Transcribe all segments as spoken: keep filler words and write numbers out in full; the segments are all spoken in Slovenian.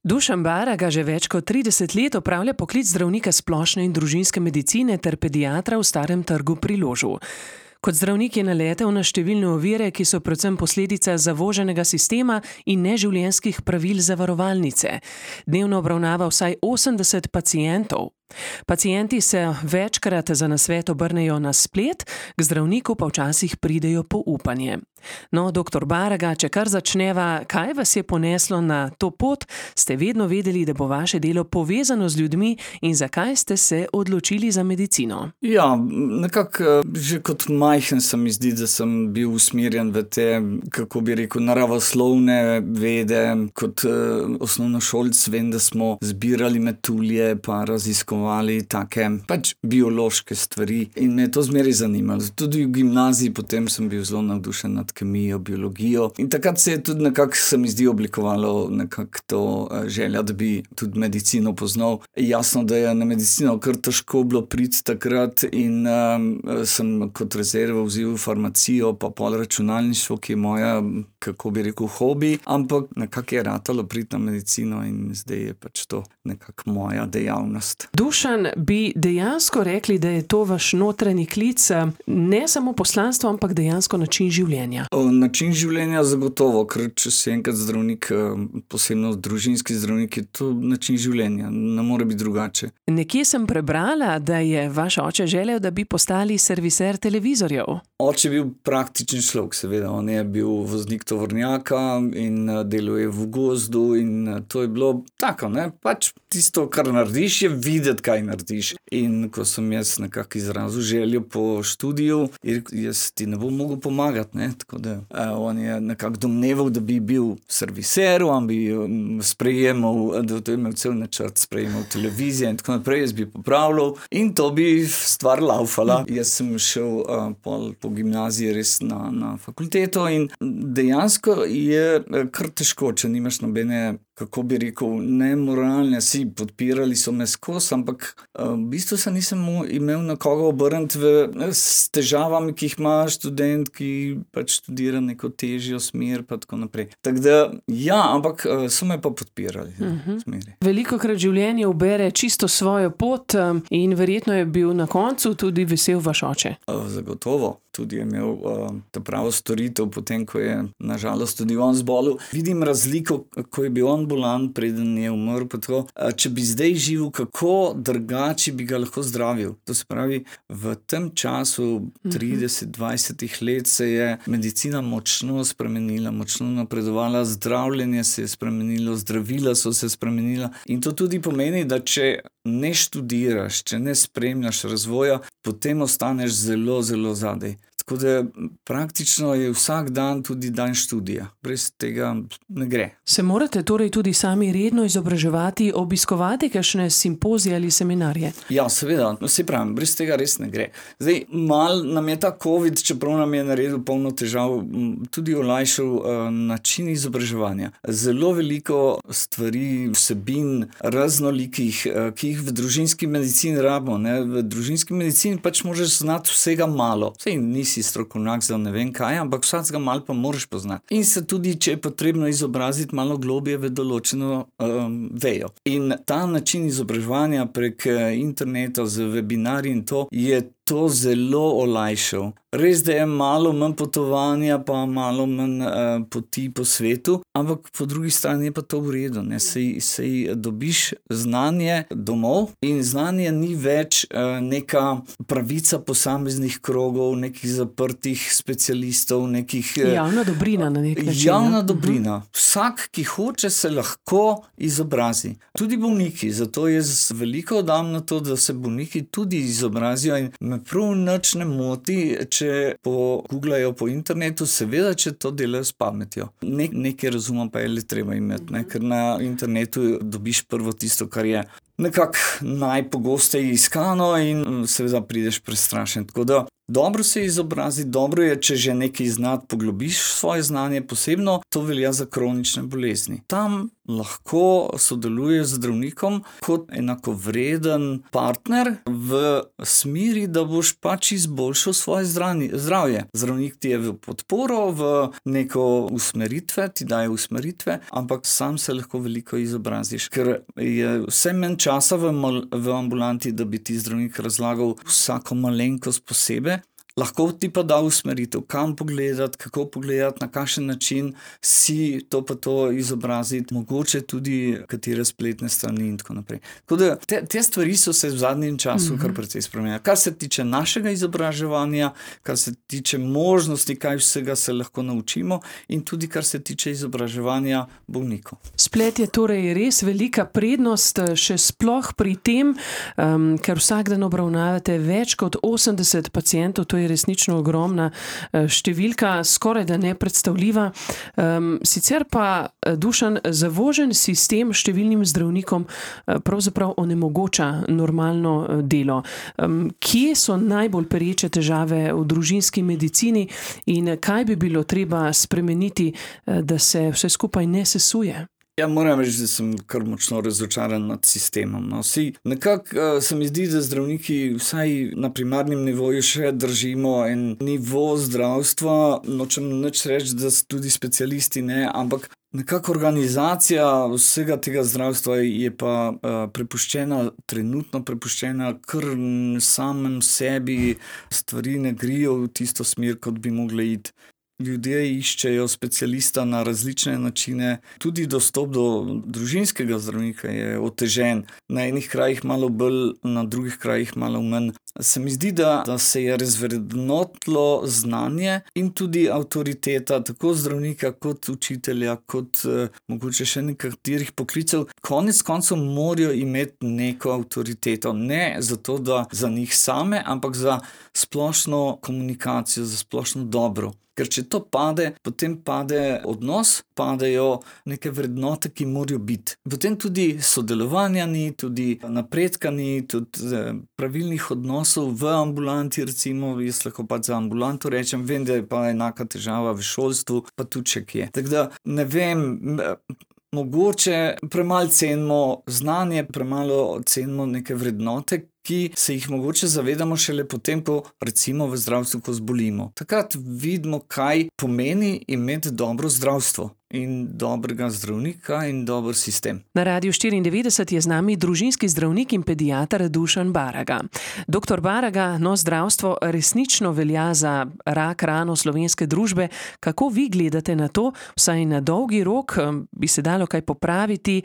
Dušan Baraga že več kot trideset let opravlja poklic zdravnika splošne in družinske medicine ter pediatra v Starem trgu pri Ložu. Kot zdravnik je naletel na številne ovire, ki so predvsem posledica zavoženega sistema in neživljenjskih pravil zavarovalnice. Dnevno obravnava vsaj osemdeset pacientov. Pacienti se večkrat za nasvet obrnejo na splet, k zdravniku pa včasih pridejo po upanje. No, doktor Baraga, če kar začneva, kaj vas je poneslo na to pot, ste vedno vedeli, da bo vaše delo povezano z ljudmi in zakaj ste se odločili za medicino? Ja, nekako že kot majhen se mi zdi, da sem bil usmerjen v te, kako bi rekel, naravoslovne vede. Kot uh, osnovnošolc vem, da smo zbirali metulje pa raziskovali take pač biološke stvari in me je to zmeraj zanimalo. Tudi v gimnaziji potem sem bil zelo navdušen nad kemijo, biologijo in takrat se je tudi nekako, se mi zdi, oblikovalo nekako to uh, želja, da bi tudi medicino poznal. Jasno, da je na medicino kar težko bilo priti takrat in um, sem kot rezervo vzel farmacijo pa pol računalništvo, ki je moja, kako bi rekel, hobi, ampak nekako je ratalo priti na medicino in zdaj je pač to nekako moja dejavnost. Dušan, bi dejansko rekli, da je to vaš notranji klic, ne samo poslanstvo, ampak dejansko način življenja? O, način življenja zagotovo, ker če si enkrat zdravnik, posebno družinski zdravnik, je to način življenja, ne more biti drugače. Nekje sem prebrala, da je vaš oče želel, da bi postali serviser televizorjev. Oče je bil praktičen človek, seveda. On je bil voznik tovornjaka in deluje v gozdu in to je bilo tako, ne, pač tisto, kar narediš, je videti, kaj narediš. In ko sem jaz nekako izrazil željo po študiju, jaz ti ne bom mogel pomagati, ne, tako da uh, on je nekako domneval, da bi bil serviser, on bi um, sprejemal, da to je imel cel načrt, sprejemal televizijo in tako naprej, jaz bi popravljal in to bi stvar laufala. Mm. Jaz sem šel uh, pol po gimnaziji res na, na fakulteto in dejansko je kar težko, če nimaš nobene, kako bi rekel, nemoralne, si podpirali so me skos, ampak uh, v bistvu se nisem imel na koga obrniti v, s težavami, ki jih ima študent, ki pač študira neko težjo smer, pa tako naprej. Tako da, ja, ampak uh, so me pa podpirali. Uh-huh. Smeri. Velikokrat življenje ubere čisto svojo pot um, in verjetno je bil na koncu tudi vesel vaš oče. Uh, zagotovo. Tudi je imel uh, ta pravo storitev, potem, ko je nažalost tudi on zbolel. Vidim razliko, ko je bil on bolan, preden je umrl, pa tako. Uh, če bi zdaj živel, kako drugače bi ga lahko zdravil. To se pravi, v tem času trideset dvajset let se je medicina močno spremenila, močno napredovala, zdravljenje se je spremenilo, zdravila so se spremenila in to tudi pomeni, da če ne študiraš, če ne spremljaš razvoja, potem ostaneš zelo, zelo zadaj. Tako da praktično je vsak dan tudi dan študija. Brez tega ne gre. Se morate torej tudi sami redno izobraževati, obiskovati kakšne simpozije ali seminarje? Ja, seveda. No, se pravim, brez tega res ne gre. Zdaj, mal nam je ta COVID, čeprav nam je naredil polno težav, tudi olajšal uh, način izobraževanja. Zelo veliko stvari, vsebin, raznolikih, uh, ki jih v družinski medicini rabimo. Ne? V družinski medicini pač možeš znati vsega malo. Sej nisi si strokovnjak za ne vem kaj, ampak vsakega malo pa moraš poznati. In se tudi, če je potrebno izobraziti malo globje v določeno um, vejo. In ta način izobraževanja prek interneta z webinarji in to je to zelo olajšal. Res, da je malo manj potovanja, pa malo manj uh, poti po svetu, ampak po drugi strani je pa to v redu. Ne? Sej, sej dobiš znanje domov in znanje ni več uh, neka pravica posameznih krogov, nekih zaprtih specialistov, nekih... Uh, javna dobrina na nek način. Javna dobrina. Uh-huh. Vsak, ki hoče, se lahko izobrazi. Tudi bolniki. Zato jaz veliko dam na to, da se bolniki tudi izobrazijo in me prav nič ne moti, če poguglajo po internetu, seveda, če to delajo s pametjo. Ne, nekaj razuma pa je le treba imeti, ne? Ker na internetu dobiš prvo tisto, kar je nekako najpogosteje iskano in seveda prideš prestrašen. Tako da dobro se izobraziti, dobro je, če že nekaj znati, poglobiš svoje znanje, posebno to velja za kronične bolezni. Tam lahko sodeluješ z zdravnikom kot enakovreden partner v smeri, da boš pač izboljšal svoje zdravje. Zdravnik ti je v podporo, v neko usmeritve, ti daje usmeritve, ampak sam se lahko veliko izobraziš, ker je vse manj časa v, v ambulanti, da bi ti zdravnik razlagal vsako malenkost posebej. Lahko ti pa da usmeritev, kam pogledati, kako pogledati, na kakšen način si to pa to izobraziti, mogoče tudi katere spletne strani in tako naprej. Tako da te, te stvari so se v zadnjem času mm-hmm. kar precej spremenile. Kar se tiče našega izobraževanja, kar se tiče možnosti, kaj vsega se lahko naučimo in tudi kar se tiče izobraževanja bolnikov. Splet je torej res velika prednost, še sploh pri tem, um, ker vsak dan obravnavate več kot osemdeset pacientov, to je resnično ogromna številka, skoraj da nepredstavljiva. Um, sicer pa, Dušan, zavožen sistem številnim zdravnikom pravzaprav onemogoča normalno delo. Um, kje so najbolj pereče težave v družinski medicini in kaj bi bilo treba spremeniti, da se vse skupaj ne sesuje? Ja, moram reči, da sem kar močno razočaran nad sistemom. No. Vsi, nekako uh, se mi zdi, da zdravniki vsaj na primarnem nivoju še držimo en nivo zdravstva, nočem nič reči, da tudi specialisti ne, ampak nekako organizacija vsega tega zdravstva je pa uh, prepuščena, trenutno prepuščena kar samem sebi, stvari ne grijo v tisto smer, kot bi mogle iti. Ljudje iščejo specialista na različne načine, tudi dostop do družinskega zdravnika je otežen, na enih krajih malo bolj, na drugih krajih malo manj. Se mi zdi, da, da se je razvrednotilo znanje in tudi avtoriteta, tako zdravnika kot učitelja, kot eh, mogoče še nekaterih poklicev. Konec koncev morajo imeti neko avtoriteto, ne zato, da za njih same, ampak za splošno komunikacijo, za splošno dobro. Ker če to pade, potem pade odnos, padejo neke vrednote, ki morajo biti. Potem tudi sodelovanja ni, tudi napredka ni, tudi pravilnih odnosov v ambulanti, recimo, jaz lahko pa za ambulanto rečem, vem, da je pa enaka težava v šolstvu, pa tudi če kje. Tako da ne vem, mogoče premalo cenimo znanje, premalo cenimo neke vrednote, ki se jih mogoče zavedamo šele potem, ko recimo v zdravstvu, ko zbolimo. Takrat vidimo, kaj pomeni imeti dobro zdravstvo in dobrega zdravnika in dober sistem. Na Radiu štiriindevetdeset je z nami družinski zdravnik in pediater Dušan Baraga. Doktor Baraga, no, zdravstvo resnično velja za rak rano slovenske družbe. Kako vi gledate na to? Vsaj na dolgi rok bi se dalo kaj popraviti?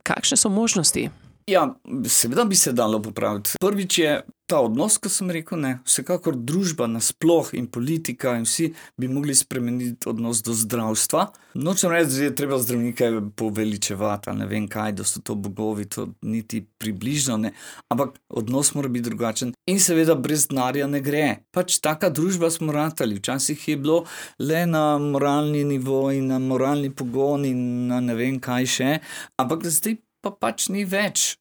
Kakšne so možnosti? Ja, seveda bi se dalo popraviti. Prvič je ta odnos, ko sem rekel, ne, vsekakor družba nasploh in politika in vsi bi mogli spremeniti odnos do zdravstva. Nočem reči, da je treba zdravnike poveličevati, ali ne vem kaj, da so to bogovi, to niti približno ne, ampak odnos mora biti drugačen in seveda brez denarja ne gre. Pač taka družba smo ratali, včasih je bilo le na moralni nivo in na moralni pogon in na ne vem kaj še, ampak zdaj pa pač ni več.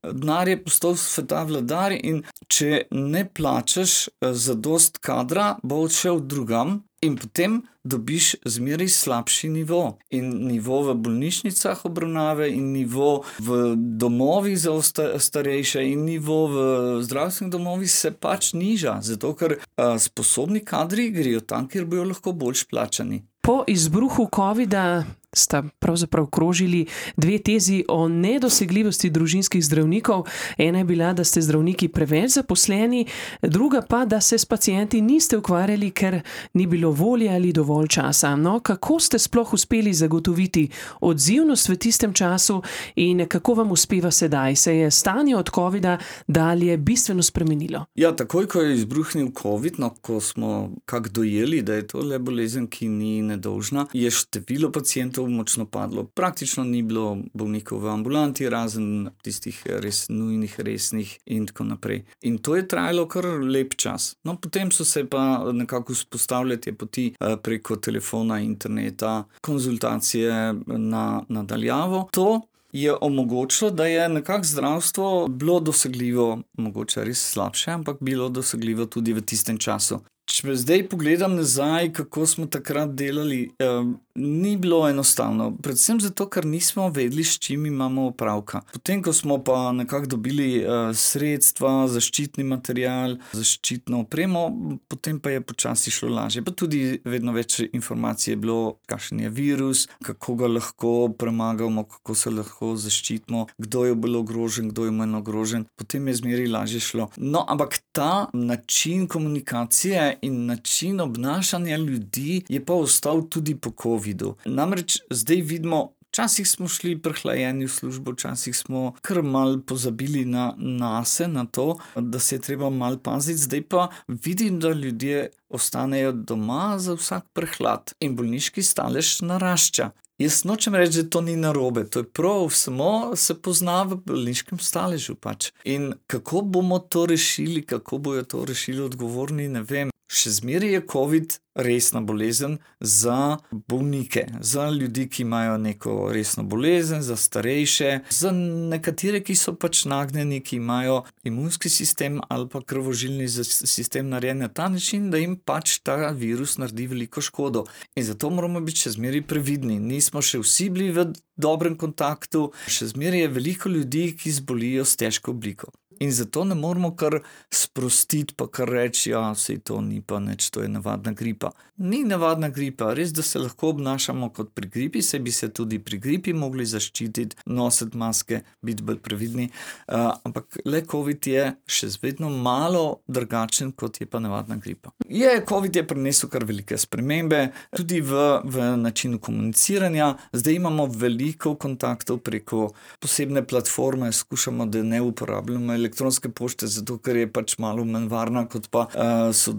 Denar je postal sveta vladar in če ne plačaš zadost kadra, bo odšel drugam in potem dobiš zmeraj slabši nivo. In nivo v bolnišnicah obravnave in nivo v domovih za starejše in nivo v zdravstvenih domovih se pač niža, zato ker sposobni kadri grejo tam, kjer bojo lahko boljš plačani. Po izbruhu covida sta pravzaprav krožili dve tezi o nedosegljivosti družinskih zdravnikov. Ena je bila, da ste zdravniki preveč zaposleni, druga pa, da se s pacienti niste ukvarjali, ker ni bilo volje ali dovolj časa. No, kako ste sploh uspeli zagotoviti odzivnost v tistem času in kako vam uspeva sedaj? Se je stanje od covida dalje bistveno spremenilo? Ja, takoj, ko je izbruhnil covid, no, ko smo kak dojeli, da je to le bolezen, ki ni nedolžna, je število pacientov močno padlo. Praktično ni bilo bolnikov v ambulanti, razen tistih res nujnih, resnih in tako naprej. In to je trajalo kar lep čas. No, potem so se pa nekako vzpostavljali te poti preko telefona, interneta, konzultacije na, na daljavo. To je omogočilo, da je nekako zdravstvo bilo dosegljivo, mogoče res slabše, ampak bilo dosegljivo tudi v tistem času. Če zdaj pogledam nazaj, kako smo takrat delali, eh, ni bilo enostavno. Predvsem zato, ker nismo vedeli, s čim imamo opravka. Potem, ko smo pa nekako dobili eh, sredstva, zaščitni material, zaščitno opremo, potem pa je počasi šlo lažje. Pa tudi vedno več informacij je bilo, kakšen je virus, kako ga lahko premagamo, kako se lahko zaščitimo, kdo je bil ogrožen, kdo je manj ogrožen. Potem je zmeraj lažje šlo. No, ampak ta način komunikacije in način obnašanja ljudi je pa ostal tudi po covidu. Namreč zdaj vidimo, včasih smo šli prehlajeni v službo, včasih smo kar mal pozabili na nase, na to, da se je treba mal paziti. Zdaj pa vidim, da ljudje ostanejo doma za vsak prehlad in bolniški stalež narašča. Jaz nočem reči, da to ni narobe, to je prav, samo se pozna v bolniškem staležu pač. In kako bomo to rešili, kako bojo to rešili odgovorni, ne vem. Še zmeraj je covid resna bolezen za bolnike, za ljudi, ki imajo neko resno bolezen, za starejše, za nekatere, ki so pač nagnjeni, ki imajo imunski sistem ali pa krvožilni sistem narejen na ta način, da jim pač ta virus naredi veliko škodo. In zato moramo biti še zmeraj previdni. Nismo še vsi bili v dobrem kontaktu, še zmeraj je veliko ljudi, ki zbolijo s težko obliko. In zato ne moramo kar sprostiti, pa kar reči, ja, sej to ni pa nič, to je navadna gripa. Ni navadna gripa, res, da se lahko obnašamo kot pri gripi, saj bi se tudi pri gripi mogli zaščititi, nositi maske, biti bolj previdni, uh, ampak le covid je še vedno malo drugačen, kot je pa navadna gripa. Je, covid je prinesel kar velike spremembe, tudi v, v načinu komuniciranja. Zdaj imamo veliko kontaktov preko posebne platforme, skušamo, da ne uporabljamo elektronske pošte, zato ker je pač malo manj varna, kot pa uh, so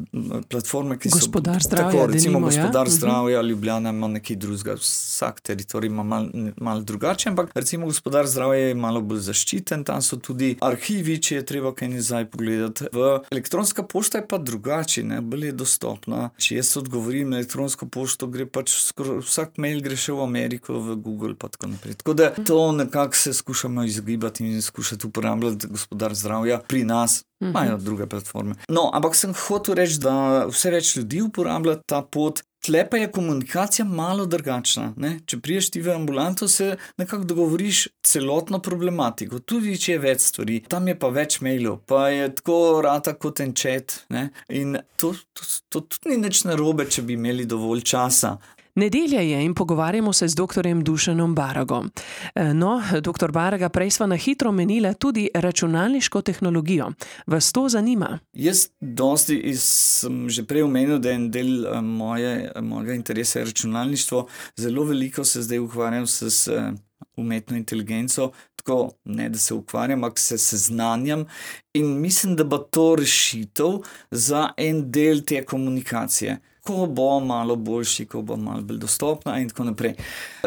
platforme, ki so... Gospodar zdravja, tako, recimo denimo, Gospodar ja? zdravja, Ljubljana ima nekaj drugega, vsak teritorij ima malo mal drugače, ampak recimo Gospodar zdravja je malo bolj zaščiten, tam so tudi arhivi, če je treba kaj nazaj pogledati. V elektronska pošta je pa drugače, ne, bolj je dostopna. Če jaz odgovorim na elektronsko pošto, gre pač skoro, vsak mail gre še v Ameriko, v Google pa tako naprej. Tako da to nekako se skušamo izogibati in skušati uporabljati Gospodar zdravja pri nas, imajo druge platforme. No, ampak sem hotel reči, da vse več ljudi uporablja ta pot. Tle pa je komunikacija malo drugačna, ne? Če priješ ti v ambulanto, se nekako dogovoriš celotno problematiko, tudi če je več stvari. Tam je pa več mailov, pa je tako rata kot en chat, ne? In to, to, to tudi ni nič narobe, če bi imeli dovolj časa. Nedelja je in pogovarjamo se z doktorjem Dušanom Baragom. No, doktor Baraga, prej sva na hitro omenila tudi računalniško tehnologijo. Vas to zanima? Jaz dosti sem že prej omenil, da je en del moje, mojega interesa je računalništvo. Zelo veliko se zdaj ukvarjam s, s umetno inteligenco, tako ne, da se ukvarjam, ampak se seznanjam in mislim, da bo to rešitev za en del te komunikacije. Ko bo malo boljši, ko bo malo bolj dostopna in tako naprej.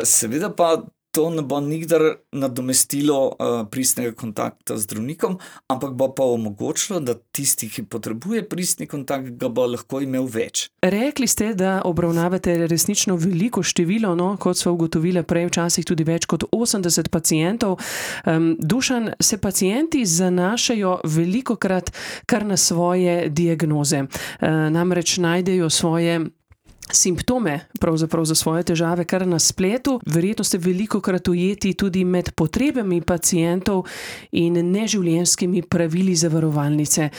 Seveda pa to ne bo nikdar nadomestilo uh, pristnega kontakta z zdravnikom, ampak bo pa omogočilo, da tisti, ki potrebuje pristni kontakt, ga bo lahko imel več. Rekli ste, da obravnavate resnično veliko število, no, kot so ugotovile prej včasih tudi več kot osemdeset pacientov. Um, Dušan, se pacienti zanašajo velikokrat kar na svoje diagnoze. Uh, namreč najdejo svoje simptome, pravzaprav za svoje težave, kar na spletu. Verjetno ste velikokrat ujeti tudi med potrebami pacientov in neživljenjskimi pravili zavarovalnice.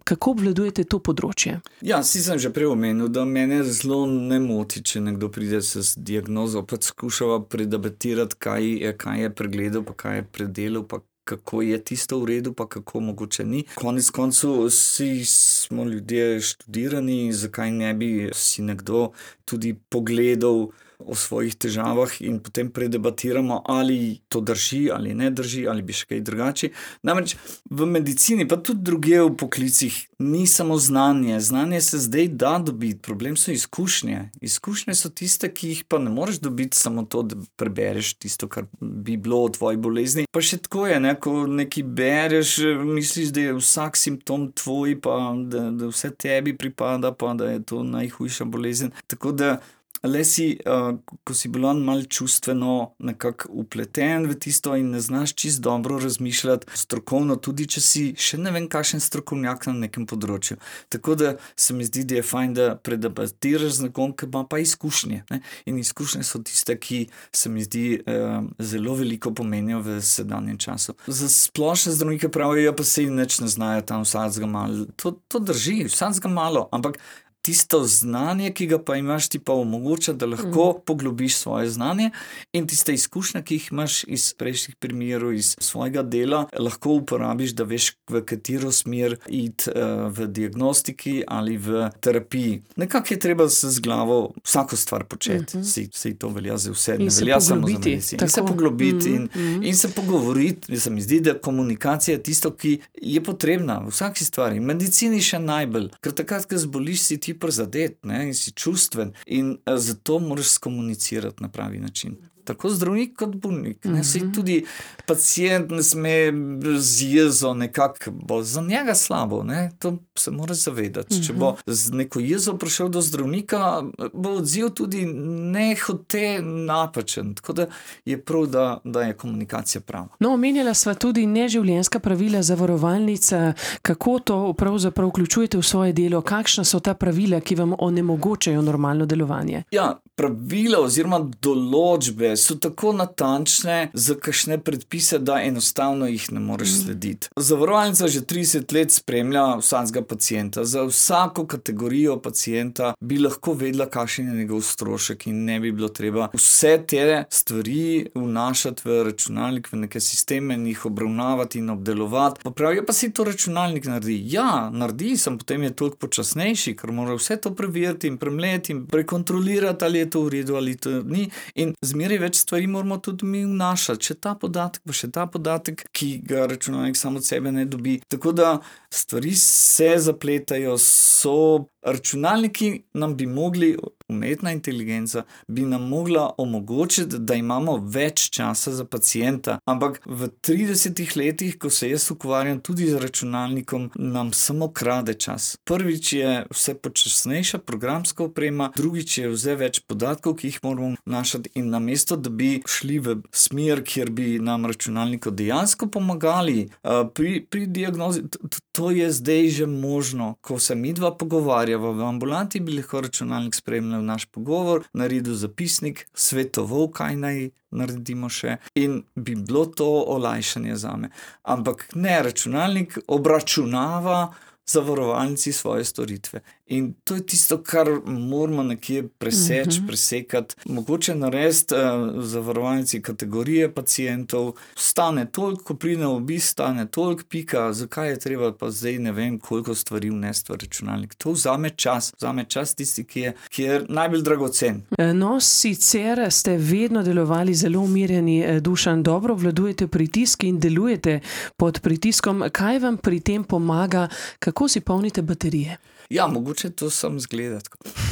Kako obvladujete to področje? Ja, si sem že prej omenil, da mene zelo ne moti, če nekdo pride s diagnozo, pa skušava predebatirati, kaj je, kaj je pregledal, pa kaj je predelal, pa kako je tisto v redu, pa kako mogoče ni. Konec koncu vsi smo ljudje študirani, zakaj ne bi si nekdo tudi pogledal o svojih težavah in potem predebatiramo, ali to drži, ali ne drži, ali bi še kaj drugače. Namreč v medicini, pa tudi druge v poklicih, ni samo znanje. Znanje se zdaj da dobiti, problem so izkušnje. Izkušnje so tiste, ki jih pa ne moreš dobiti samo to, da prebereš tisto, kar bi bilo o tvoji bolezni. Pa še tako je, ne, ko nekaj bereš, misliš, da je vsak simptom tvoj, pa da, da vse tebi pripada, pa da je to najhujša bolezen. Tako da le si, uh, ko si bolan mal čustveno nekako upleten v tisto in ne znaš čist dobro razmišljati strokovno, tudi če si še ne vem kakšen strokovnjak na nekem področju. Tako da se mi zdi, da je fajn, da predebatiraš z nekom, ki ima pa izkušnje. Ne? In izkušnje so tiste, ki se mi zdi uh, zelo veliko pomenijo v sedanjem času. Za splošne zdravnike pravijo, pa se jim nič ne znajo tam vsakega malo. To, to drži, vsakega malo, ampak tisto znanje, ki ga pa imaš, ti pa omogoča, da lahko mm. poglobiš svoje znanje in tiste izkušnje, ki jih imaš iz prejšnjih primerov, iz svojega dela, lahko uporabiš, da veš, v katero smer iti uh, v diagnostiki ali v terapiji. Nekako je treba se z glavo vsako stvar početi. Mm-hmm. Si, si to velja za vse, ne velja samo za medicino. In se poglobiti mm-hmm. in, in se pogovoriti. Se mi zdi, da komunikacija je tisto, ki je potrebna v vsaki stvari. V medicini še najbolj, ker takrat, ko zboliš, si ti prizadet, ne, in si čustven in a, zato moraš skomunicirati na pravi način. Tako zdravnik kot bolnik. Ne, mm-hmm. Tudi pacient ne sme z jezo nekako, bo za njega slabo, ne, to se mora zavedati. Mm-hmm. Če bo z neko jezo prišel do zdravnika, bo odziv tudi nehote napačen. Tako da je prav, da, da je komunikacija prava. No, omenjala sva tudi neživljenjska pravila zavarovalnica. Kako to pravzaprav vključujete v svoje delo? Kakšna so ta pravila, ki vam onemogočajo normalno delovanje? Ja, pravila oziroma določbe so tako natančne za kakšne predpise, da enostavno jih ne moreš slediti. Zavarovalnica že trideset let spremlja vsakega pacienta. Za vsako kategorijo pacienta bi lahko vedela, kakšen je njegov strošek in ne bi bilo treba vse te stvari vnašati v računalnik, v neke sisteme in jih obravnavati in obdelovati. Pa pravijo, pa si to računalnik naredi. Ja, naredi, sem potem je toliko počasnejši, ker mora vse to preveriti in premleti in prekontrolirati, ali je to v redu ali to ni. In zmeraj več stvari moramo tudi mi vnašati. Še ta podatek, pa še ta podatek, ki ga računalnik samo od sebe ne dobi. Tako da stvari se zapletajo, so računalniki nam bi mogli, umetna inteligenca, bi nam mogla omogočiti, da imamo več časa za pacienta. Ampak v tridesetih letih, ko se jaz ukvarjam tudi z računalnikom, nam samo krade čas. Prvič je vse počasnejša programska oprema, drugič je vse več podatkov, ki jih moramo vnašati in namesto, da bi šli v smer, kjer bi nam računalniko dejansko pomagali pri, pri diagnozi, to je zdaj že možno. Ko se midva pogovarjava v ambulanti, bi lahko računalnik spremljal naš pogovor, naredil zapisnik, svetoval, kaj naj naredimo še in bi bilo to olajšanje zame. Ampak ne, računalnik obračunava zavarovalnici svoje storitve. In to je tisto, kar moramo nekje preseči, uh-huh. presekati. Mogoče narediti uh, zavarovalnici kategorije pacientov, stane toliko, ko pride na obisk, stane toliko, pika, zakaj je treba pa zdaj ne vem, koliko stvari vnesti v računalnik. To vzame čas, vzame čas tisti, ki je, ki je najbolj dragocen. No, sicer ste vedno delovali zelo umirjeni, Dušan, dobro obvladujete pritisk in delujete pod pritiskom. Kaj vam pri tem pomaga, kako si polnite baterije? Ja, mogoče to sam zgledati.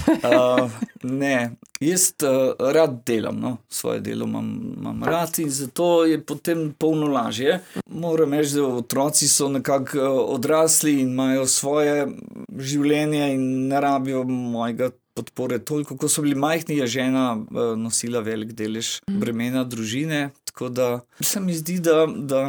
Uh, ne, jaz uh, rad delam, no, svoje delo imam, imam rad in zato je potem polno lažje. Moram reči, da otroci so nekako odrasli in imajo svoje življenje in ne rabijo mojega podpore toliko. Ko so bili majhni, je žena uh, nosila velik delež bremena družine, tako da se mi zdi, da, da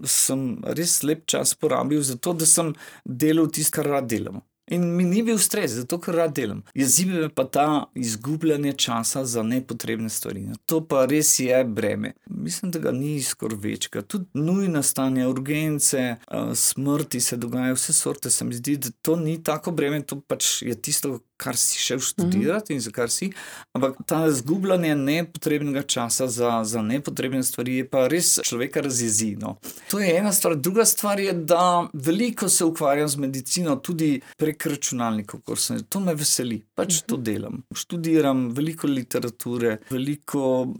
sem res lep čas porabil za to, da sem delal tisto, kar rad delam. In mi ni bil stres, zato ker rad delam. Jezive me pa ta izgubljanje časa za nepotrebne stvari. To pa res je breme. Mislim, da ga ni skoraj večka. Tudi nujna stanja, urgence, smrti se dogajajo, vse sorte. Se mi zdi, da to ni tako breme, to pač je tisto, kar si šel študirati in za kar si. Ampak ta izgubljanje nepotrebnega časa za, za nepotrebne stvari je pa res človeka razjezi. No. To je ena stvar. Druga stvar je, da veliko se ukvarjam z medicino, tudi prek računalnikov, to me veseli, pač to delam. Študiram veliko literature, veliko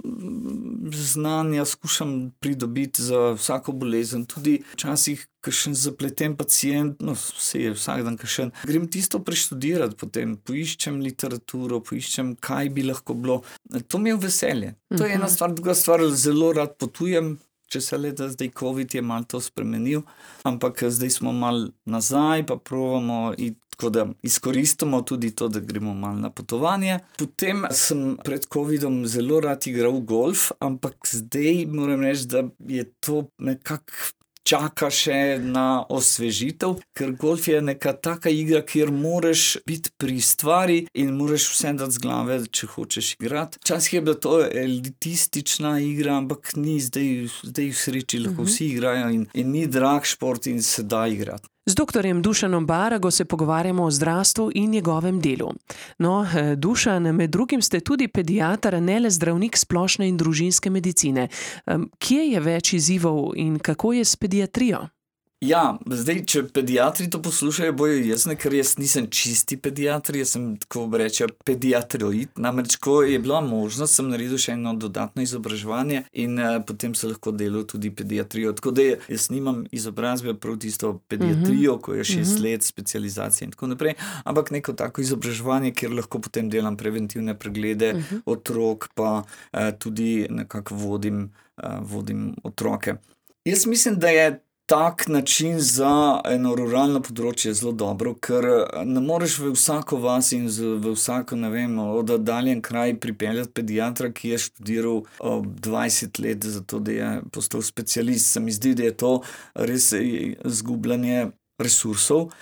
znanja skušam pridobiti za vsako bolezen, tudi včasih kakšen zapleten pacient, no vse je vsak dan kakšen, grem tisto preštudirati potem, poiščem literaturo, poiščem, kaj bi lahko bilo. To mi je veselje. To je ena stvar, druga stvar, zelo rad potujem, če se le da zdaj COVID je malo to spremenil, ampak zdaj smo malo nazaj, pa provamo iti, tako da izkoristimo tudi to, da gremo malo na potovanje. Potem sem pred COVIDom zelo rad igral golf, ampak zdaj moram reči, da je to nekako čaka še na osvežitev, ker golf je neka taka igra, kjer moraš biti pri stvari in moraš vse dati z glave, če hočeš igrati. Včasih je bila to elitistična igra, ampak ni zdaj, zdaj v sreči lahko vsi igrajo in, in ni drag šport in se da igrati. Z doktorjem Dušanom Barago se pogovarjamo o zdravstvu in njegovem delu. No, Dušan, med drugim ste tudi pediater, ne le zdravnik splošne in družinske medicine. Kje je več izzivov in kako je s pediatrijo? Ja, zdaj, če pediatri to poslušajo, bojo jasne, ker jaz nisem čisti pediatr, jaz sem, tako reče, pediatroid. Namreč, ko je bila možnost, sem naredil še eno dodatno izobraževanje in uh, potem se lahko delal tudi pediatrijo. Tako da jaz nimam izobrazbe prav tisto pediatrijo, uh-huh. ko je šest uh-huh. let specializacije in tako naprej, ampak neko tako izobraževanje, kjer lahko potem delam preventivne preglede uh-huh. otrok, pa uh, tudi nekako vodim, uh, vodim otroke. Jaz mislim, da je tak način za eno ruralno področje zelo dobro, ker ne moreš v vsako vas in v vsako, ne vem, oddaljen kraj pripeljati pediatra, ki je študiral dvajset let za to, da je postal specialist. Se mi zdi, da je to res izgubljanje resursov.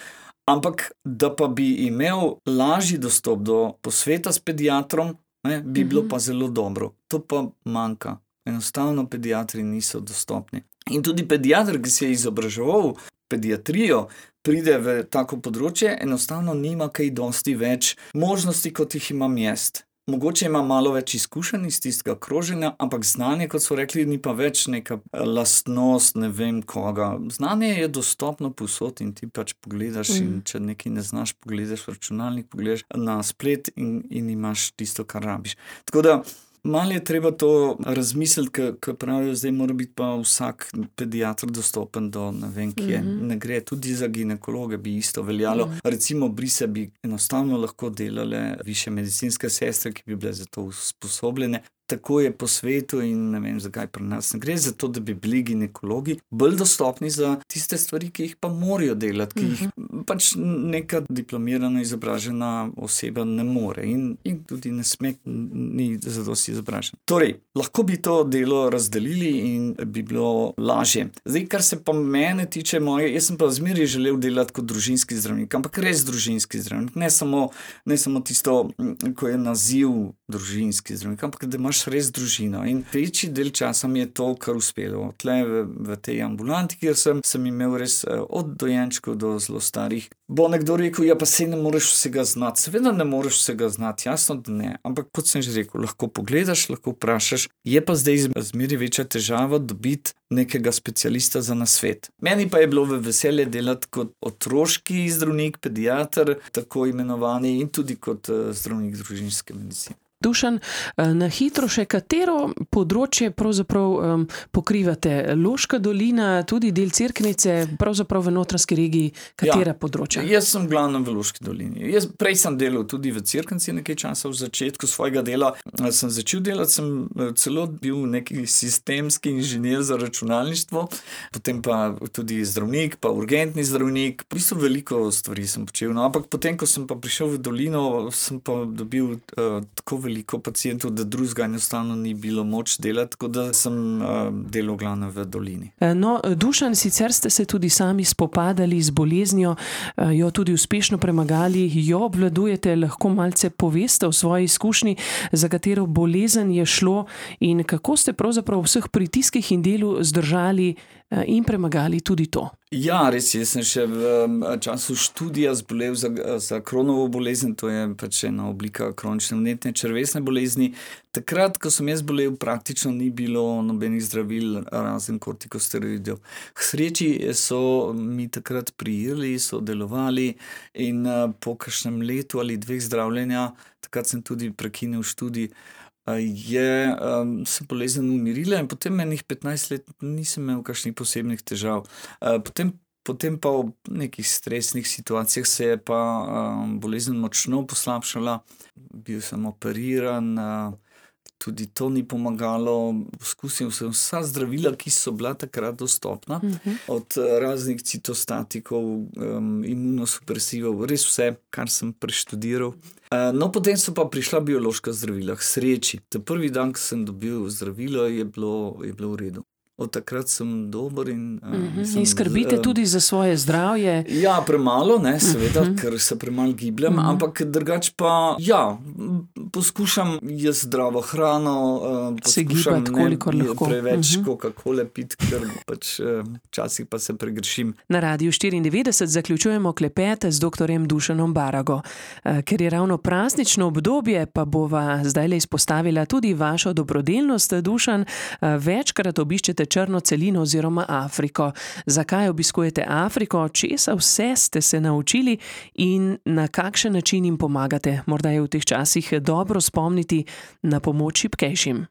Ampak, da pa bi imel lažji dostop do posveta s pediatrom, ne, bi mm-hmm. bilo pa zelo dobro. To pa manjka. Enostavno pediatri niso dostopni. In tudi pediatr, ki se je izobraževal pediatrijo, pride v tako področje, enostavno nima kaj dosti več možnosti, kot jih imam jaz. Mogoče ima malo več izkušenj iz tistega kroženja, ampak znanje, kot so rekli, ni pa več neka lastnost, ne vem koga. Znanje je dostopno povsod in ti pač pogledaš mm. in če nekaj ne znaš, pogledaš v računalnik, pogledaš na splet in, in imaš tisto, kar rabiš. Tako da malo je treba to razmisliti, ker pravijo, zdaj mora biti pa vsak pediatr dostopen do ne vem kje. Mm-hmm. Ne gre, tudi za ginekologe bi isto veljalo. Mm. Recimo brise bi enostavno lahko delale višje medicinske sestre, ki bi bile za to usposobljene. Tako je po svetu in ne vem, zakaj pri nas ne gre, zato da bi bili ginekologi bolj dostopni za tiste stvari, ki jih pa morajo delati, ki jih pač neka diplomirana, izobražena oseba ne more in, in tudi ne sme, ni zadosti izobražen. Torej, lahko bi to delo razdelili in bi bilo lažje. Zdaj, kar se pa mene tiče moje, jaz sem pa zmeraj želel delati kot družinski zdravnik, ampak res družinski zdravnik, ne samo, ne samo tisto, ko je naziv družinski zdravnik, ampak da imaš res družino. In večji del časa mi je to kar uspelo. Tle v, v tej ambulanti, kjer sem, sem imel res od dojenčkov do zelo starih. Bo nekdo rekel, ja pa sej ne moreš vsega znati. Seveda ne moreš vsega znati, jasno, da ne. Ampak kot sem že rekel, lahko pogledaš, lahko vprašaš. Je pa zdaj zmeri večja težava dobiti nekega specialista za nasvet. Meni pa je bilo v veselje delati kot otroški zdravnik, pediater, tako imenovani, in tudi kot zdravnik družinske medicine. Dušan, na hitro še katero področje pravzaprav um, pokrivate? Loška dolina, tudi del Cerknice, pravzaprav v Notranjski regiji, katera ja, področja? Jaz sem glavno v Loški dolini. Jaz prej sem delal tudi v Cerknici nekaj časa, v začetku svojega dela sem začel delati, sem celo bil neki sistemski inženir za računalništvo, potem pa tudi zdravnik, pa urgentni zdravnik, v bistvu veliko stvari sem počel. No, ampak potem, ko sem pa prišel v dolino, sem pa dobil uh, tako veliko pacientov, da drugega enostavno ni bilo moč delati, tako da sem uh, delal glavno v dolini. No, Dušan, sicer ste se tudi sami spopadali z boleznijo, jo tudi uspešno premagali, jo obvladujete, lahko malce poveste o svoji izkušnji, za katero bolezen je šlo in kako ste pravzaprav v vseh pritiskih in delu zdržali in premagali tudi to. Ja, res je, sem še v času študija zbolel za, za Crohnovo bolezen, to je pač ena oblika kronične vnetne črevesne bolezni. Takrat, ko sem jaz bolel, praktično ni bilo nobenih zdravil, razen kortikosteroidov. K sreči so mi takrat prijeli, so delovali in po kakšnem letu ali dveh zdravljenja, takrat sem tudi prekinil študij, je um, se bolezen umirila in potem enih petnajst let nisem imel kakšnih posebnih težav. Uh, potem, potem pa v nekih stresnih situacijah se je pa um, bolezen močno poslabšala. Bil sem operiran, uh, tudi to ni pomagalo. Poskusil sem vsa zdravila, ki so bila takrat dostopna, uh-huh. od raznih citostatikov, um, imunosupresivov, res vse, kar sem preštudiral. Uh, no, potem so pa prišla biološka zdravila, k sreči. Ta prvi dan, ko sem dobil zdravilo, je bilo, je bilo v redu. Od takrat sem dober in... Uh, uh-huh. mislim, in skrbite uh, tudi za svoje zdravje? Ja, premalo, ne, seveda, uh-huh. ker se premalo gibljem, uh-huh. ampak drugač pa, ja, poskušam jaz zdravo hrano, uh, poskušam ne preveč uh-huh. Coca-Cole pit, ker pač včasih uh, pa se pregrešim. Na Radiu štiriindevetdeset zaključujemo klepet z doktorjem Dušanom Barago. Uh, ker je ravno praznično obdobje, pa bova zdajle izpostavila tudi vašo dobrodelnost, Dušan. Uh, večkrat obiščete črno celino oziroma Afriko. Zakaj obiskujete Afriko? Česa vse ste se naučili in na kakšen način jim pomagate? Morda je v teh časih dobro spomniti na pomoč šibkejšim.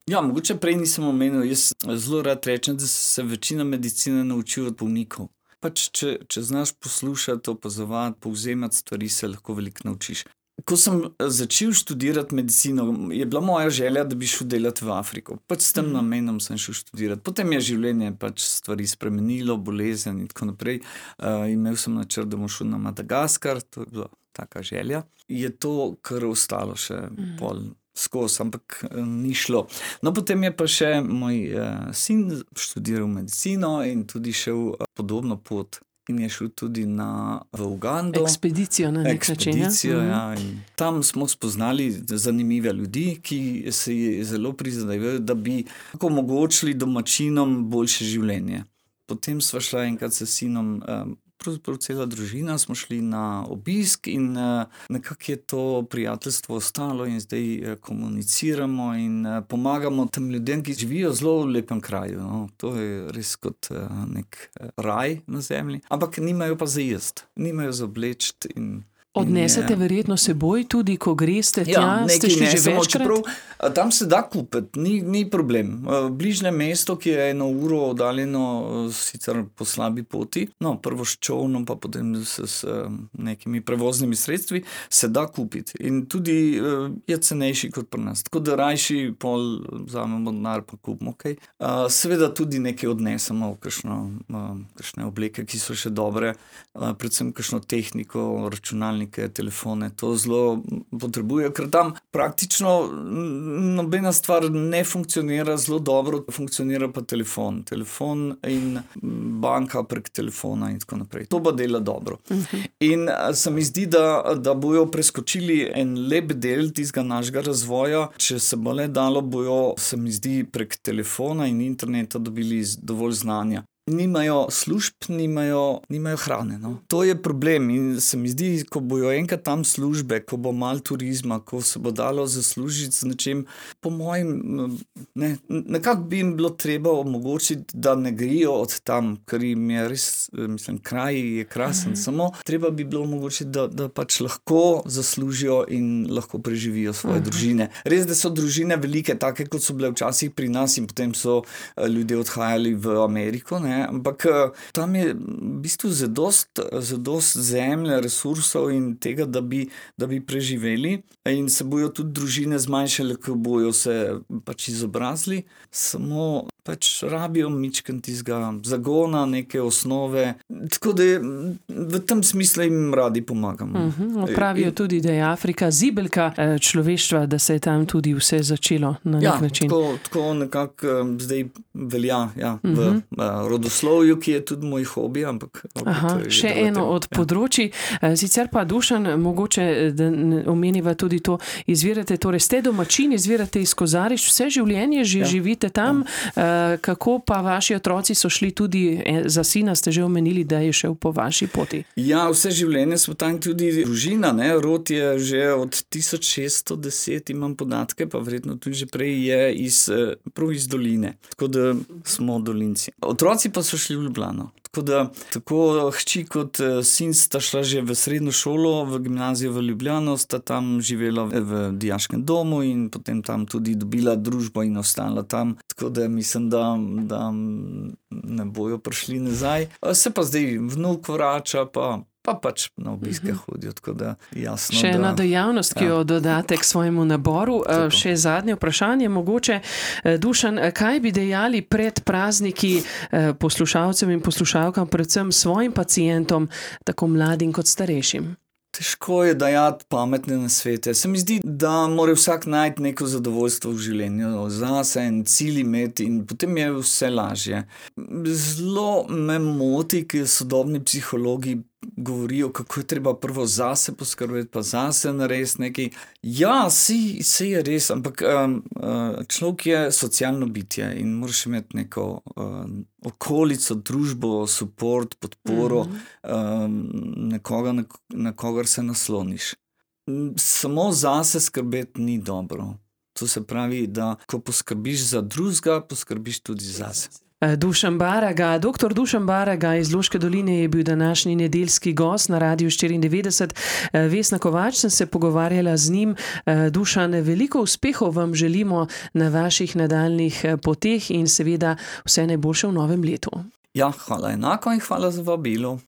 Ja, mogoče prej nisem omenil. Jaz zelo rad rečem, da se večina medicine nauči od bolnikov. Pač, če, če znaš poslušati, opazovati, povzemati stvari, se lahko veliko naučiš. Ko sem začel študirati medicino, je bila moja želja, da bi šel delati v Afriko. Pač s tem namenom sem šel študirati. Potem je življenje pač stvari spremenilo, bolezen in tako naprej. Uh, imel sem načrt, da bom šel na Madagaskar, to je bila taka želja. Je to kar ostalo še mm. pol skozi, ampak uh, ni šlo. No, potem je pa še moj uh, sin študiral medicino in tudi šel uh, podobno pot. In je šel tudi na, v Ugando. Ekspedicijo na nek način. Ekspedicijo, ja. In tam smo spoznali zanimive ljudi, ki se zelo prizadevajo, da bi omogočili domačinom boljše življenje. Potem sva šla enkrat s sinom, pravzaprav cela družina, smo šli na obisk in nekako je to prijateljstvo ostalo in zdaj komuniciramo in pomagamo tem ljudem, ki živijo zelo v lepem kraju. No. To je res kot nek raj na zemlji, ampak nimajo pa za jesti, nimajo za obleči in odnesete verjetno seboj tudi, ko greste tja, ja, ste šli že večkrat? Čeprav, tam se da kupiti, ni, ni problem. Bližnje mesto, ki je eno uro oddaljeno, sicer po slabi poti, no, prvo s čolnom, pa potem s, s nekimi prevoznimi sredstvi, se da kupiti. In tudi je cenejši kot pri nas. Tako da rajši pol vzamemo denar, pa kupimo, ok. Seveda tudi nekaj odnesemo, kakšno, kakšne obleke, ki so še dobre, predvsem kakšno tehniko, računalnike, telefone, to zelo potrebujejo, ker tam praktično nobena stvar ne funkcionira zelo dobro, funkcionira pa telefon. Telefon in banka prek telefona in tako naprej. To pa dela dobro. Uh-huh. In se mi zdi, da, da bojo preskočili en lep del tistega našega razvoja, če se bo le dalo, bojo, se mi zdi, prek telefona in interneta dobili dovolj znanja. Nimajo služb, nimajo, nimajo hrane. No. To je problem in se mi zdi, ko bojo enkrat tam službe, ko bo malo turizma, ko se bo dalo zaslužiti z nečem, po mojem, ne, nekako bi jim bilo treba omogočiti, da ne grejo od tam, ker jim je res, mislim, kraj je krasen, uh-huh. samo treba bi bilo omogočiti, da, da pač lahko zaslužijo in lahko preživijo svoje uh-huh. družine. Res, da so družine velike, take kot so bile včasih pri nas in potem so ljudje odhajali v Ameriko, ne. Ampak tam je v bistvu zadost, zadost zemlje, resursov in tega, da bi, da bi preživeli in se bojo tudi družine zmanjšale, ko bojo se pač izobrazili, samo pač rabijo mičken tizga zagona, neke osnove, tako da v tem smislu jim radi pomagamo. Uh-huh. Pravijo tudi, da je Afrika zibelka človeštva, da se je tam tudi vse začelo na ja, nek način. Tako, tako nekako zdaj velja ja, uh-huh. v rodoslovju, ki je tudi moj hobi, ampak Aha, še eno od ja. področji. Sicer pa, Dušan, mogoče da omeniva tudi to, izvirate, torej ste domačin, izvirate iz Kozarišč, vse življenje že ja. živite tam, ja. Kako pa vaši otroci so šli tudi, za sina ste že omenili, da je šel po vaši poti? Ja, vse življenje smo tam tudi družina, ne? Rod je že od tisoč šeststo deset, imam podatke, pa verjetno tudi že prej je iz, prav iz doline, tako da smo dolinci. Otroci pa so šli v Ljubljano. Tako da, tako hči kot sin sta šla že v srednjo šolo, v gimnazijo v Ljubljano, sta tam živela v dijaškem domu in potem tam tudi dobila družbo in ostala tam. Tako da mislim, da, da ne bojo prišli nazaj. Se pa zdaj vnuk vrača, pa pa pač na obiske uh-huh. hodijo, tako da jasno. Še ena da, dejavnost, ki ja. jo dodate k svojemu naboru. Tako. Še zadnje vprašanje, mogoče, Dušan, kaj bi dejali pred prazniki poslušalcem in poslušalkam, predvsem svojim pacientom, tako mladim kot starejšim? Težko je dajati pametne nasvete. Se mi zdi, da mora vsak najti neko zadovoljstvo v življenju, zase en cilj imeti in potem je vse lažje. Zelo me moti, ker sodobni psihologi govorijo, kako je treba prvo zase poskrbeti, pa zase narediti nekaj. Ja, si, si je res, ampak um, človek je socialno bitje in moraš imeti neko um, okolico, družbo, support, podporo, mm-hmm. um, nekoga, na, na kogar se nasloniš. Samo zase skrbeti ni dobro. To se pravi, da ko poskrbiš za drugega, poskrbiš tudi zase. Dušan Baraga, doktor Dušan Baraga iz Loške doline je bil današnji nedeljski gost na Radiu štiriindevetdeset. Vesna Kovač, sem se pogovarjala z njim. Dušan, veliko uspehov vam želimo na vaših nadaljnih poteh in seveda vse najboljše v novem letu. Ja, hvala enako in hvala za vabilo.